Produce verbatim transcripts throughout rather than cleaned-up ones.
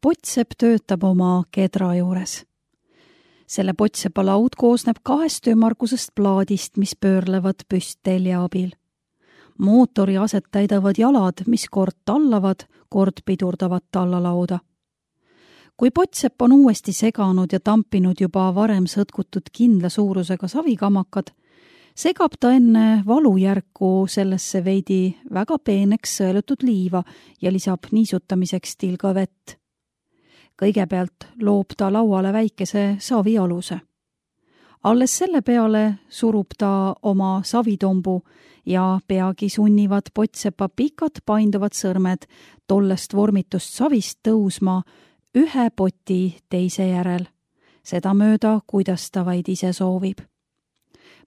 Pottsepp töötab oma kedra juures. Selle Pottsepa laud koosneb kahest ümmargusest plaadist, mis pöörlevad püsttelja abil. Mootori aset täidavad jalad, mis kord tallavad, kord pidurdavad tallalauda. Kui Pottsepp on uuesti seganud ja tampinud juba varem sõtkutud kindla suurusega savikamakkad, segab ta enne valujärku sellesse veidi väga peeneks sõelutud liiva ja lisab niisutamiseks tilga vett. Kõigepealt loob ta lauale väikese savialuse. Alles selle peale surub ta oma savitombu ja peagi sunnivad Pottsepa pikad painduvad sõrmed tollest vormitust savist tõusma ühe poti teise järel, seda mööda, kuidas ta vaid ise soovib.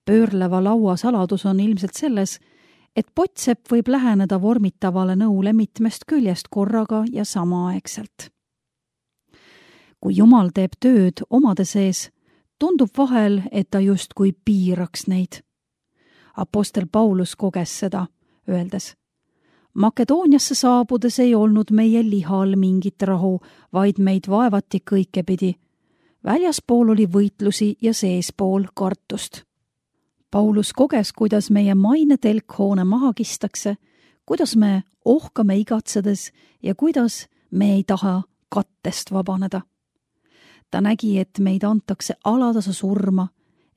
Pöörleva laua saladus on ilmselt selles, et Pottsepp võib läheneda vormitavale nõule mitmest küljest korraga ja samaaegselt. Kui Jumal teeb tööd omade sees, tundub vahel, et ta justkui piiraks neid. Apostel Paulus koges seda, öeldes: Makedooniasse saabudes ei olnud meie lihal mingit rahu, vaid meid vaevati kõikepidi. Väljaspool oli võitlusi ja seespool kartust. Paulus koges, kuidas meie maine telkhoone maha kistakse, kuidas me ohkame igatsedes ja kuidas me ei taha kattest vabaneda. Ta nägi, et meid antakse alatasa surma,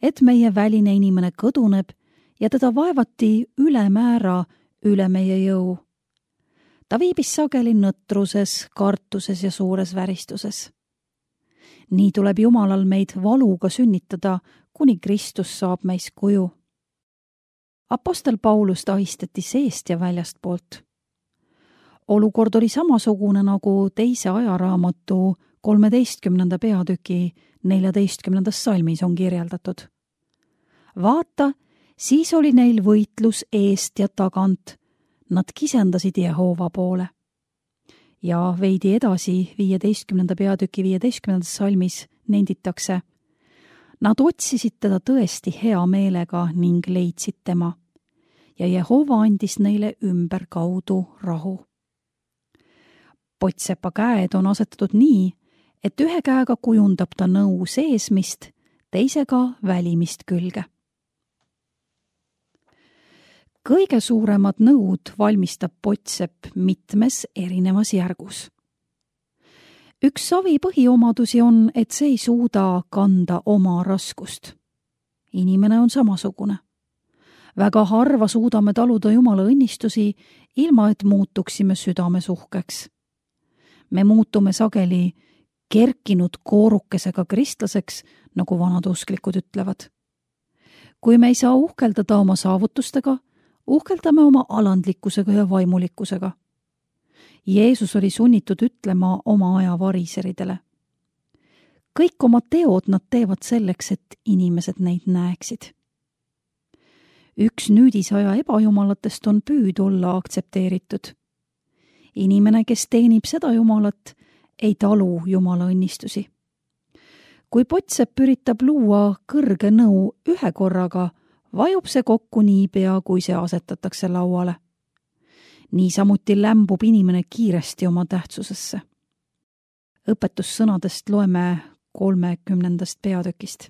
et meie väline inimene kõduneb ja teda vaevati ülemäära üle meie jõu. Ta viibis sageli nõtruses, kartuses ja suures väristuses. Nii tuleb Jumalal meid valuga sünnitada, kuni Kristus saab meis kuju. Apostel Paulust ahistati seest ja väljastpoolt. Olukord oli samasugune nagu teise ajaraamatu kolmeteistkümnenda peatüki neljateistkümnendas salmis on kirjeldatud. Vaata, siis oli neil võitlus eest ja tagant. Nad kisendasid Jehova poole. Ja veidi edasi viieteistkümnenda peatüki viieteistkümnendas salmis nenditakse: Nad otsisid teda tõesti hea meelega ning leidsid tema. Ja Jehova andis neile ümberkaudu rahu. Pottsepa käed on asetatud nii, et ühe käega kujundab ta nõu seesmist, teisega välimist külge. Kõige suuremad nõud valmistab Pottsepp mitmes erinevas järgus. Üks savi põhiomadusi on, et see ei suuda kanda oma raskust. Inimene on samasugune. Väga harva suudame taluda Jumala õnnistusi, ilma et muutuksime südamesuhkeks. Me muutume sageli kerkinud koorukesega kristlaseks, nagu vanad usklikud ütlevad. Kui me ei saa uhkeldada oma saavutustega, uhkeldame oma alandlikkusega ja vaimulikkusega. Jeesus oli sunnitud ütlema oma aja variseridele: kõik oma teod nad teevad selleks, et inimesed neid näeksid. Üks nüüdisaja ebajumalatest on püüd olla aktsepteeritud. Inimene, kes teenib seda Jumalat, ei talu Jumala õnnistusi. Kui Pottsepp üritab luua kõrge nõu ühe korraga, vajub see kokku niipea, kui see asetatakse lauale. Niisamuti lämbub inimene kiiresti oma tähtsusesse. Õpetussõnadest loeme kolmekümnendast peatükist.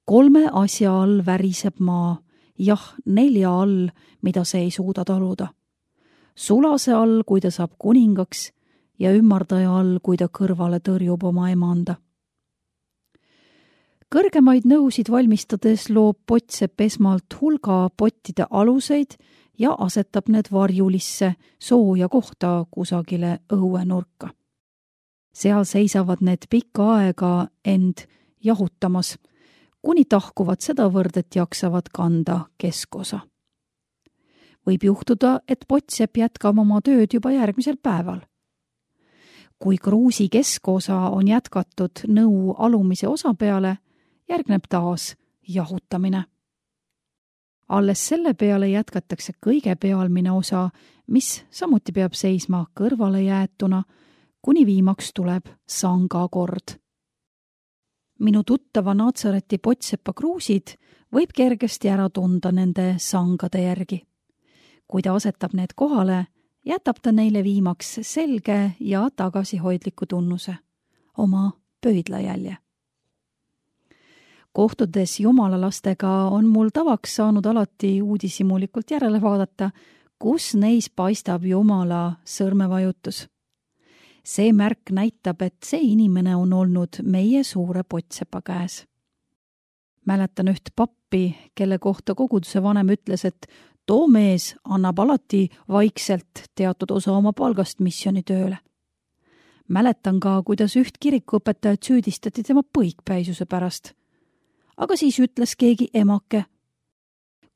Kolme asja all väriseb maa, jah, nelja all, mida see ei suuda taluda. Sulase all, kui ta saab kuningaks, ja ümmardaja all, kui ta kõrvale tõrjub oma emanda. Kõrgemaid nõusid valmistades loob Pottsepp esmalt hulga pottide aluseid ja asetab need varjulisse sooja kohta kusagile õuenurka. Seal seisavad need pikka aega end jahutamas, kuni tahkuvad sedavõrd, et jaksavad kanda keskosa. Võib juhtuda, et Pottsepp jätkab oma tööd juba järgmisel päeval. Kui kruusi keskosa on jätkatud nõu alumise osa peale, järgneb taas jahutamine. Alles selle peale jätkatakse kõige pealmine osa, mis samuti peab seisma kõrvale jäetuna, kuni viimaks tuleb sangakord. Minu tuttava Natsareti Pottsepa kruusid võib kergesti ära tunda nende sangade järgi. Kui ta asetab need kohale, jätab ta neile viimaks selge ja tagasihoidliku tunnuse, oma pöidlajälje. Kohtudes jumalalastega on mul tavaks saanud alati uudishimulikult järele vaadata, kus neis paistab Jumala sõrmevajutus. See märk näitab, et see inimene on olnud meie suure pottsepa käes. Mäletan üht pappi, kelle kohta koguduse vanem ütles, et too mees annab alati vaikselt teatud osa oma palgast missionitööle. Mäletan ka, kuidas üht kirikuõpetajat süüdistati tema põikpäisuse pärast. Aga siis ütles keegi emake.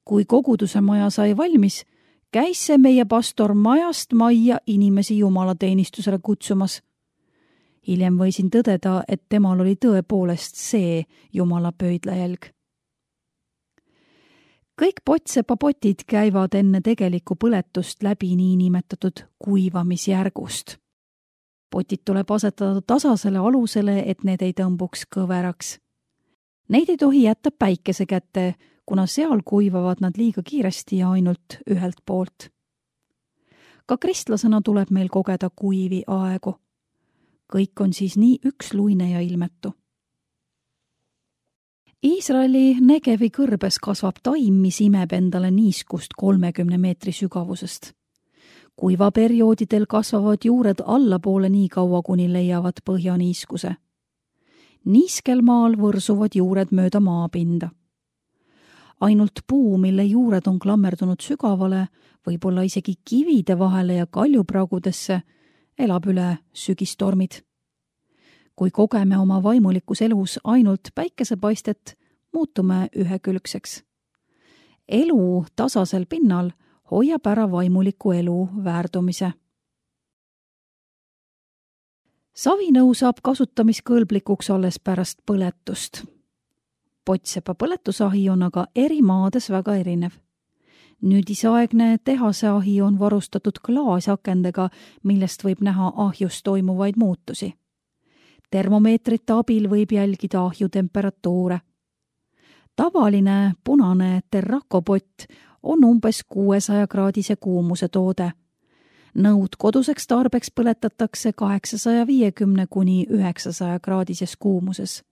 Kui koguduse maja sai valmis, käis see meie pastor majast majja inimesi jumalateenistusele kutsumas. Hiljem võisin tõdeda, et temal oli tõepoolest see jumala pöidlajälg. Kõik potsepapotid käivad enne tegelikku põletust läbi niinimetatud kuivamisjärgust. Potid tuleb asetada tasasele alusele, et need ei tõmbuks kõveraks. Neid ei tohi jätta päikese kätte, kuna seal kuivavad nad liiga kiiresti ja ainult ühelt poolt. Ka kristlasena tuleb meil kogeda kuivi aegu. Kõik on siis nii üksluine ja ilmetu. Iisraeli Negevi kõrbes kasvab taim, mis imeb endale niiskust kolmekümne meetri sügavusest. Kuivaperioodidel kasvavad juured allapoole nii kaua, kuni leiavad põhjaniiskuse. Niiskel maal võrsuvad juured mööda maapinda. Ainult puu, mille juured on klammerdunud sügavale, võib-olla isegi kivide vahele ja kaljupragudesse, elab üle sügistormid. Kui kogeme oma vaimulikus elus ainult päikesepaistet, muutume ühekülgseks. Elu tasasel pinnal hoiab ära vaimuliku elu väärdumise. Savinõu saab kasutamiskõlblikuks alles pärast põletust. Pottsepa põletusahi on aga eri maades väga erinev. Nüüdisaegne tehase ahi on varustatud klaasakendega, millest võib näha ahjus toimuvaid muutusi. Termomeetrite abil võib jälgida ahju temperatuure. Tavaline punane terrakopott on umbes kuuesaja kraadise kuumuse toode. Nõud koduseks tarbeks põletatakse kaheksasaja viiekümne kuni üheksasaja kraadises kuumuses.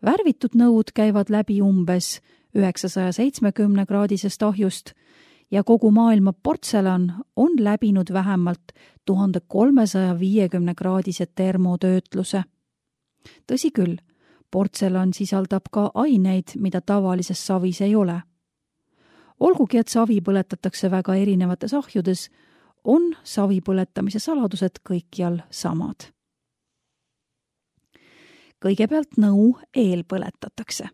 Värvitud nõud käivad läbi umbes üheksasaja seitsmekümne kraadisest ahjust ja kogu maailma portselan on läbinud vähemalt tuhat kolmesaja viiekümne kraadise termotöötluse. Tõsi küll, portselan sisaldab ka aineid, mida tavalises savis ei ole. Olgugi, et savi põletatakse väga erinevates ahjudes, on savi põletamise saladused kõikjal samad. Kõigepealt nõu eelpõletatakse.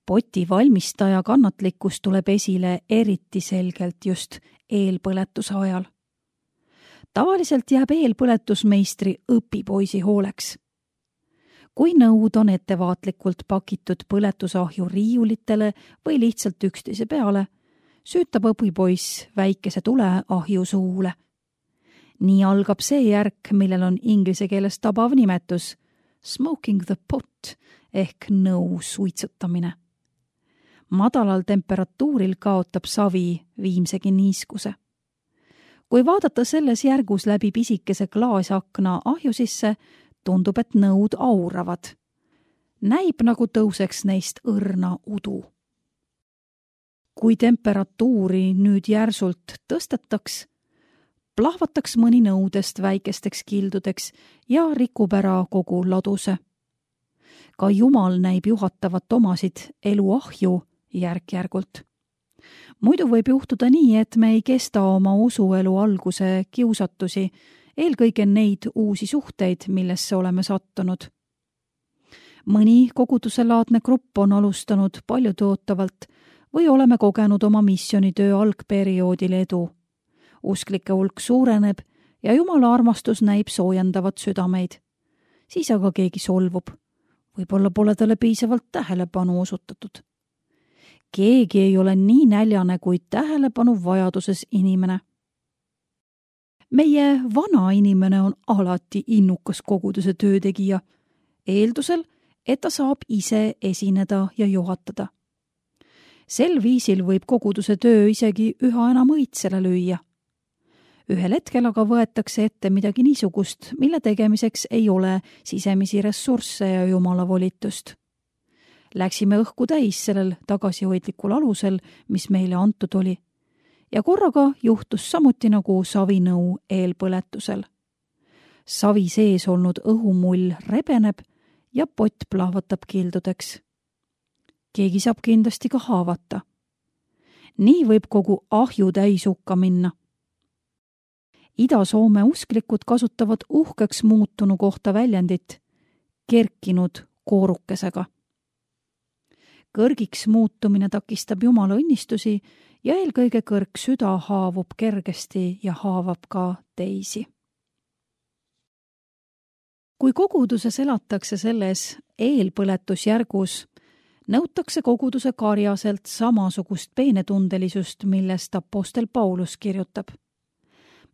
Poti valmistaja kannatlikkus tuleb esile eriti selgelt just eelpõletuse ajal. Tavaliselt jääb eelpõletusmeistri õpipoisi hooleks. Kui nõud on ettevaatlikult pakitud põletusahju riiulitele või lihtsalt üksteise peale, süütab õpipoiss väikese tule ahju suule. Nii algab see järk, millel on inglise keeles tabav nimetus smoking the pot ehk nõu suitsutamine. Madalal temperatuuril kaotab savi viimsegi niiskuse. Kui vaadata selles järgus läbi pisikese klaasakna ahju sisse, tundub, et nõud auravad. Näib, nagu tõuseks neist õrna udu. Kui temperatuuri nüüd järsult tõstetaks, plahvataks mõni nõudest väikesteks kildudeks ja rikub ära kogu laduse. Ka Jumal näib juhatavat omasid eluahju järk-järgult. Muidu võib juhtuda nii, et me ei kesta oma usuelu alguse kiusatusi, eelkõige neid uusi suhteid, millesse oleme sattunud. Mõni koguduselaadne grupp on alustanud paljutootavalt või oleme kogenud oma missionitöö algperioodil edu. Usklike hulk suureneb ja Jumala armastus näib soojendavat südameid. Siis aga keegi solvub. Võib-olla pole talle piisavalt tähelepanu osutatud. Keegi ei ole nii näljane kui tähelepanu vajaduses inimene. Meie vana inimene on alati innukas koguduse töötegija, eeldusel, et ta saab ise esineda ja juhatada. Sel viisil võib koguduse töö isegi üha enam õitsele lüüa. ühel hetkel aga võetakse ette midagi niisugust, mille tegemiseks ei ole sisemisi ressursse ja jumala volitust. Läksime õhku täis sellel tagasihoidlikul alusel, mis meile antud oli. Ja korraga juhtus samuti nagu savinõu eelpõletusel. Savi sees olnud õhumull rebeneb ja pott plahvatab kildudeks. Keegi saab kindlasti ka haavata. Nii võib kogu ahju täis hukka minna. Ida-Soome usklikud kasutavad uhkeks muutunu kohta väljendit kerkinud koorukesega. Kõrgiks muutumine takistab jumala õnnistusi ja eelkõige kõrg süda haavub kergesti ja haavab ka teisi. Kui koguduses elatakse selles eelpõletusjärgus, nõutakse koguduse karjaselt samasugust peenetundelisust, millest apostel Paulus kirjutab.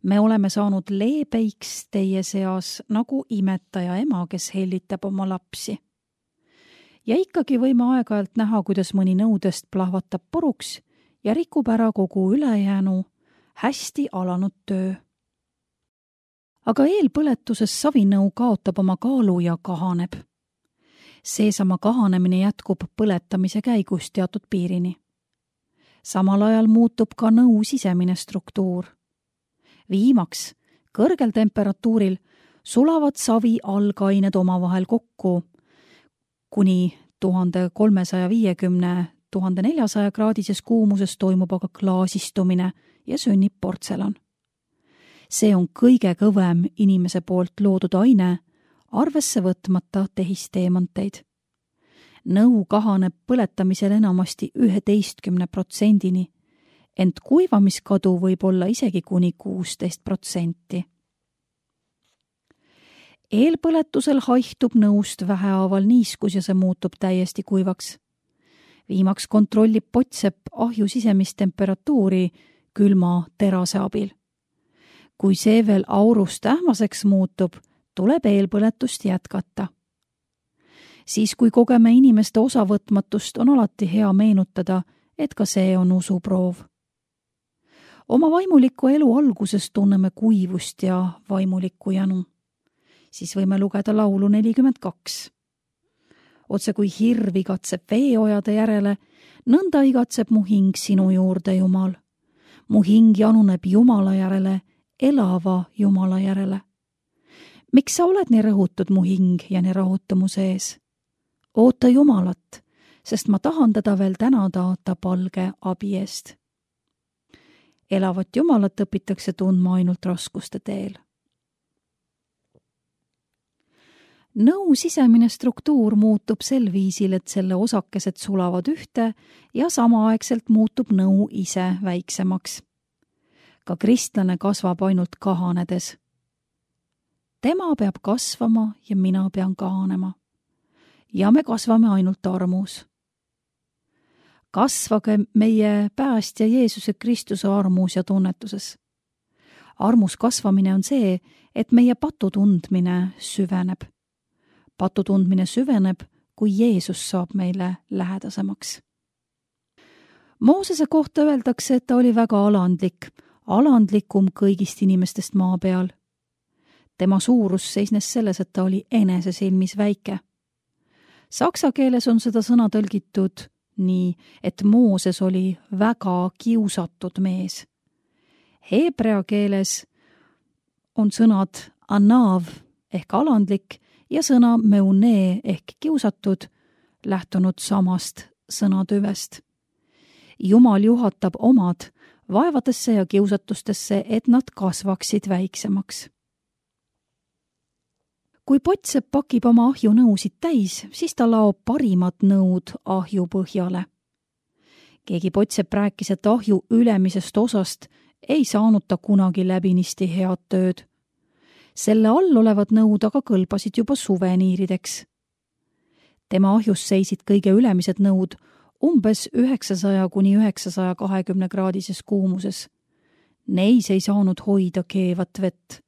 Me oleme saanud leebeiks teie seas nagu imetaja ema, kes hellitab oma lapsi. Ja ikkagi võime aeg-ajalt näha, kuidas mõni nõudest plahvatab puruks ja rikub ära kogu ülejäänu hästi alanud töö. Aga eelpõletuses savinõu kaotab oma kaalu ja kahaneb. Seesama kahanemine jätkub põletamise käigus teatud piirini. Samal ajal muutub ka nõu sisemine struktuur. Viimaks, kõrgel temperatuuril sulavad savi algained omavahel kokku kuni tuhat kolmesada viiskümmend – tuhat neljasaja kraadises kuumuses toimub aga klaasistumine ja sünnib portselan. See on kõige kõvem inimese poolt loodud aine, arvesse võtmata tehisteemanteid. Nõu kahaneb põletamisel enamasti üheteistkümne protsendini, ent kuivamiskadu võib olla isegi kuni kuusteist protsenti. Eelpõletusel haihtub nõust vähehaaval niiskus ja see muutub täiesti kuivaks. Viimaks kontrollib pottsepp ahju sisemist temperatuuri külma terase abil. Kui see veel aurust ähmaseks muutub, tuleb eelpõletust jätkata. Siis, kui kogeme inimeste osavõtmatust, on alati hea meenutada, et ka see on usuproov. Oma vaimuliku elu alguses tunneme kuivust ja vaimulikku janu. Siis võime lugeda laulu nelikümmend kaks. Otse kui hirv igatseb veeojade järele, nõnda igatseb mu hing sinu juurde, Jumal. Mu hing januneb Jumala järele, elava Jumala järele. Miks sa oled nii rõhutud mu hing ja nii rahutu mu sees? Oota Jumalat, sest ma tahan teda veel tänada ta palge abi eest. Elavat Jumalat õpitakse tundma ainult raskuste teel. Nõu sisemine struktuur muutub sel viisil, et selle osakesed sulavad ühte ja samaaegselt muutub nõu ise väiksemaks. Ka kristlane kasvab ainult kahanedes. Tema peab kasvama ja mina pean kahanema. Ja me kasvame ainult armus. Kasvage meie päästja Jeesuse Kristuse armus ja tunnetuses. Armus kasvamine on see, et meie patu tundmine süveneb. Patu tundmine süveneb, kui Jeesus saab meile lähedasemaks. Moosese kohta öeldakse, et ta oli väga alandlik, alandlikum kõigist inimestest maa peal. Tema suurus seisnes selles, et ta oli enese silmis väike. Saksa keeles on seda sõna tõlgitud nii, et Mooses oli väga kiusatud mees. Heebrea keeles on sõnad anav ehk alandlik ja sõna meune ehk kiusatud lähtunud samast sõnatüvest. Jumal juhatab omad vaevadesse ja kiusatustesse, et nad kasvaksid väiksemaks. Kui pottsepp pakib oma ahju nõusid täis, siis ta laob parimad nõud ahju põhjale. Keegi pottsepp rääkis, et ahju ülemisest osast ei saanud ta kunagi läbinisti head tööd. Selle all olevad nõud aga kõlbasid juba suveniirideks. Tema ahjus seisid kõige ülemised nõud umbes üheksasaja kuni üheksasaja kahekümne kraadises kuumuses. Neis ei saanud hoida keevat vett.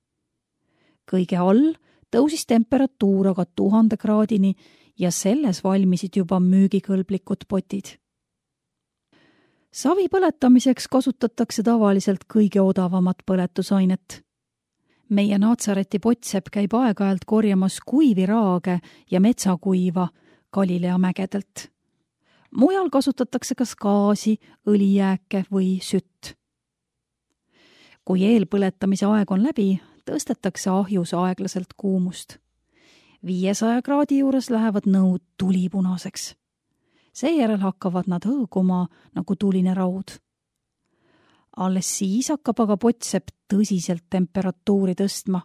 Kõige all tõusis temperatuur aga tuhande kraadini ja selles valmisid juba müügikõlblikud potid. Savi põletamiseks kasutatakse tavaliselt kõige odavamat põletusainet. Meie Naatsareti Potsepp käib aeg-ajalt korjamas kuivi raage ja metsakuiva Galilea mägedelt. Mujal kasutatakse kas gaasi, õlijääke või sütt. Kui eelpõletamise aeg on läbi, tõstetakse ahjus aeglaselt kuumust. viiesaja kraadi juures lähevad nõud tulipunaseks. Seejärel hakkavad nad hõõguma nagu tuline raud. Alles siis hakkab aga Potsepp tõsiselt temperatuuri tõstma.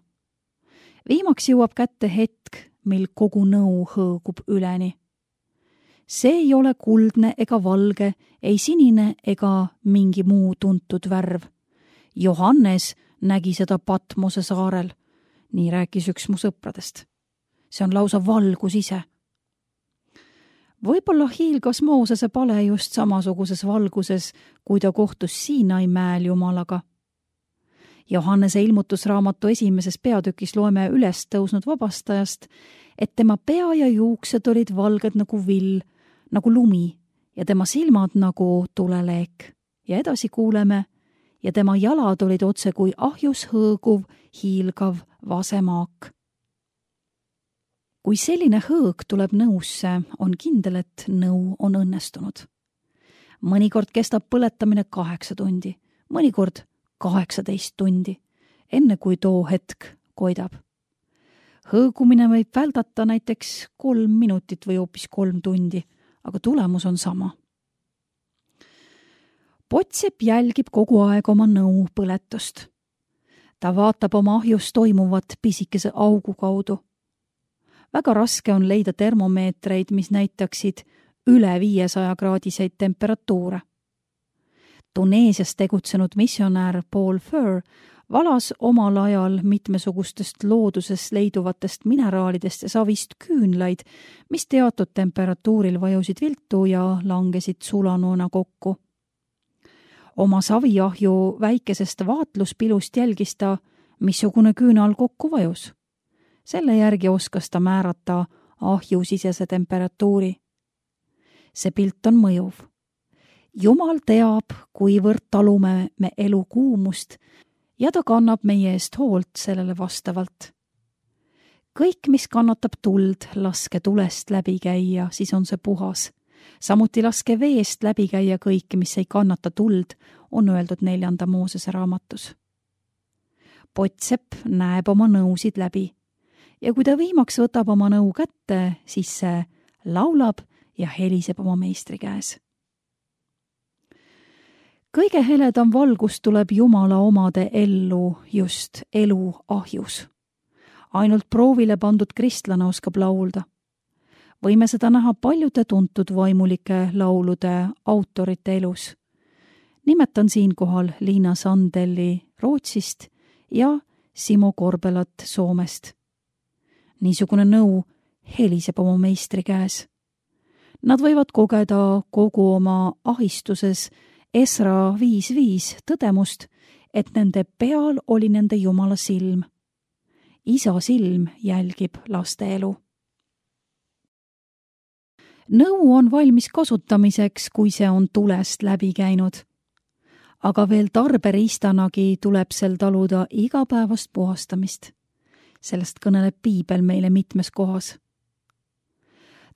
Viimaks jõuab kätte hetk, mil kogu nõu hõõgub üleni. See ei ole kuldne ega valge, ei sinine ega mingi muu tuntud värv. Johannes nägi seda Patmose saarel, nii rääkis üks mu sõpradest. See on lausa valgus ise. Võib-olla hiilgas Moosese pale just samasuguses valguses, kui ta kohtus Siinai mäel Jumalaga. Johannese ilmutusraamatu esimeses peatükis loeme üles tõusnud vabastajast, et tema pea ja juuksed olid valged nagu vill, nagu lumi ja tema silmad nagu tuleleek. Ja edasi kuuleme, ja tema jalad olid otse kui ahjus hõõguv, hiilgav vasemaak. Kui selline hõõg tuleb nõusse, on kindel, et nõu on õnnestunud. Mõnikord kestab põletamine kaheksa tundi, mõnikord kaheksateist tundi, enne kui too hetk koidab. Hõõgumine võib väldata näiteks kolm minutit või hoopis kolm tundi, aga tulemus on sama. Potsepp jälgib kogu aeg oma nõu põletust. Ta vaatab oma ahjus toimuvat pisikese augu kaudu. Väga raske on leida termomeetreid, mis näitaksid üle viiesaja kraadiseid temperatuure. Tuneesias tegutsenud missionäär Paul Furr valas omal ajal mitmesugustest looduses leiduvatest mineraalidest ja savist küünlaid, mis teatud temperatuuril vajusid viltu ja langesid sulanoona kokku. Oma saviahju väikesest vaatluspilust jälgis ta, missugune küünal kokku vajus. Selle järgi oskas ta määrata ahjusisese temperatuuri. See pilt on mõjuv. Jumal teab, kuivõrd talume me elu kuumust ja ta kannab meie eest hoolt sellele vastavalt. Kõik, mis kannatab tuld, laske tulest läbi käia, siis on see puhas. Samuti laske veest läbi käia kõik, mis ei kannata tuld, on öeldud neljanda Moosese raamatus. Potsepp näeb oma nõusid läbi. Ja kui ta viimaks võtab oma nõu kätte, siis see laulab ja heliseb oma meistri käes. Kõige heledam valgus tuleb Jumala omade ellu just elu ahjus. Ainult proovile pandud kristlane oskab laulda. Võime seda näha paljude tuntud vaimulike laulude autorite elus. Nimetan siinkohal Liina Sandelli Rootsist ja Simo Korbelat Soomest. Niisugune nõu heliseb oma meistri käes. Nad võivad kogeda kogu oma ahistuses Esra viis viis tõdemust, et nende peal oli nende Jumala silm. Isa silm jälgib laste elu. Nõu on valmis kasutamiseks, kui see on tulest läbi käinud. Aga veel tarberiistanagi tuleb sel taluda igapäevast puhastamist. Sellest kõneleb Piibel meile mitmes kohas.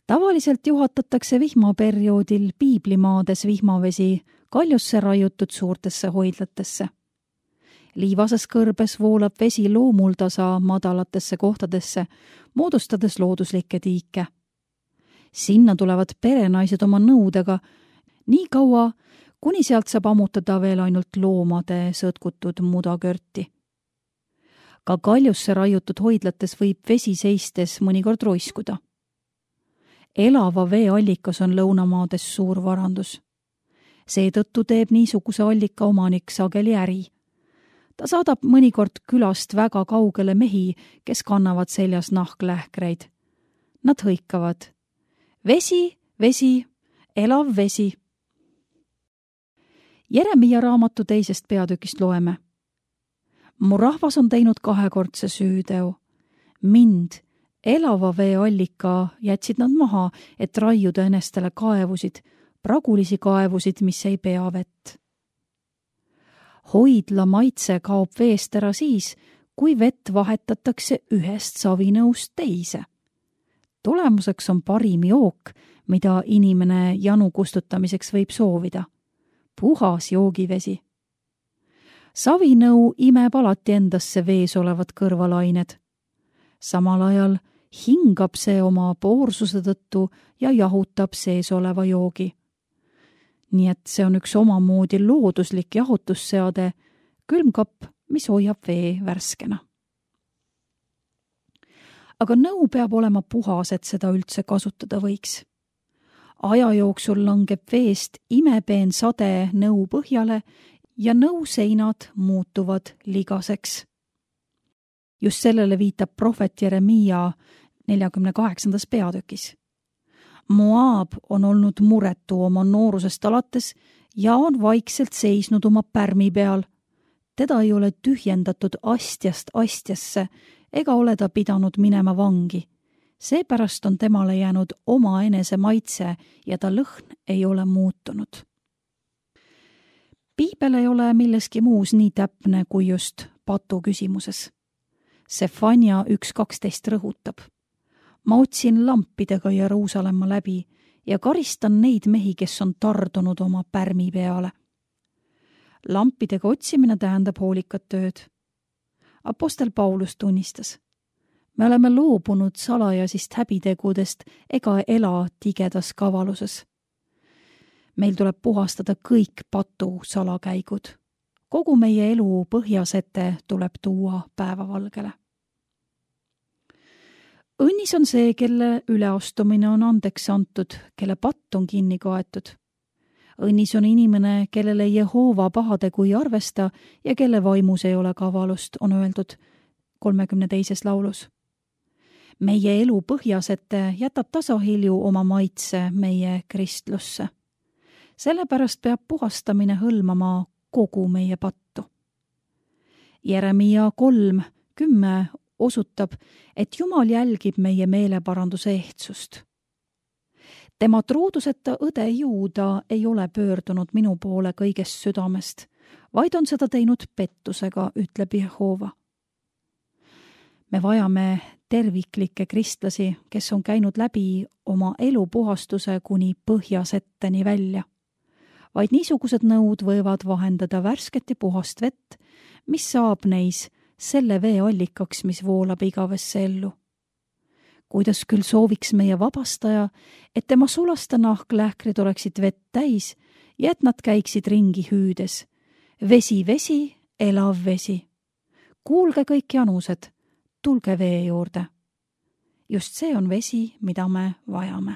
Tavaliselt juhatatakse vihmaperioodil piiblimaades vihmavesi kaljusse raiutud suurtesse hoidlatesse. Liivases kõrbes voolab vesi loomuldasa madalatesse kohtadesse, moodustades looduslikke tiike. Sinna tulevad perenaised oma nõudega nii kaua, kuni sealt saab ammutada veel ainult loomade sõtkutud mudakörti. Ka kaljusse raiutud hoidlates võib vesi seistes mõnikord roiskuda. Elava veeallikas on lõunamaades suur varandus. Seetõttu teeb niisuguse allika omanik sageli äri. Ta saadab mõnikord külast väga kaugele mehi, kes kannavad seljas nahklähkreid. Nad hõikavad. Vesi, vesi, elav vesi. Jeremia raamatu teisest peatükist loeme. Mu rahvas on teinud kahekordse süüteo. Mind, elava veeallika, jätsid nad maha, et raiuda enestele kaevusid, pragulisi kaevusid, mis ei pea vett. Hoidla maitse kaob veest ära siis, kui vett vahetatakse ühest savinõust teise. Tulemuseks on parim jook, mida inimene janu kustutamiseks võib soovida. Puhas joogivesi. Savinõu imeb alati endasse vees olevad kõrvalained. Samal ajal hingab see oma poorsuse tõttu ja jahutab sees oleva joogi. Nii et see on üks omamoodi looduslik jahutusseade, külmkapp, mis hoiab vee värskena. Aga nõu peab olema puhas, et seda üldse kasutada võiks. Aja jooksul langeb veest imepeen sade nõu põhjale ja nõuseinad muutuvad ligaseks. Just sellele viitab prohvet Jeremiia neljakümne kaheksandas peatükis. Moab on olnud muretu oma noorusest alates ja on vaikselt seisnud oma pärmi peal. Teda ei ole tühjendatud astjast astjasse ega ole ta pidanud minema vangi. Seepärast on temale jäänud oma enese maitse ja ta lõhn ei ole muutunud. Piibel ei ole milleski muus nii täpne kui just patu küsimuses. Sefania üks kaksteist rõhutab. Ma otsin lampidega Jeruusalemma läbi ja karistan neid mehi, kes on tardunud oma pärmi peale. Lampidega otsimine tähendab hoolikat tööd. Apostel Paulus tunnistas. Me oleme loobunud salajasist häbitegudest ega ela tigedas kavaluses. Meil tuleb puhastada kõik patu salakäigud. Kogu meie elu põhjasete tuleb tuua päevavalgele. Õnnis on see, kelle üleastumine on andeks antud, kelle patt on kinni kaetud. Õnnis on inimene, kellele Jehova pahadegu ei arvesta ja kelle vaimus ei ole kavalust, on öeldud kolmekümne teises laulus. Meie elu põhjasete jätab tasahilju oma maitse meie kristlusse. Sellepärast peab puhastamine hõlmama kogu meie pattu. Jeremiia kolm kümme osutab, et Jumal jälgib meie meeleparanduse ehtsust. Tema truuduseta õde Juuda ei ole pöördunud minu poole kõigest südamest, vaid on seda teinud pettusega, ütleb Jehova. Me vajame terviklikke kristlasi, kes on käinud läbi oma elupuhastuse kuni põhjasetteni välja. Vaid niisugused nõud võivad vahendada värsket ja puhast vett, mis saab neis selle vee allikaks, mis voolab igavesse ellu. Kuidas küll sooviks meie vabastaja, et tema sulasta nahklähkrid oleksid vett täis ja et nad käiksid ringi hüüdes. Vesi, vesi, elav vesi. Kuulge kõik janused, tulge vee juurde. Just see on vesi, mida me vajame.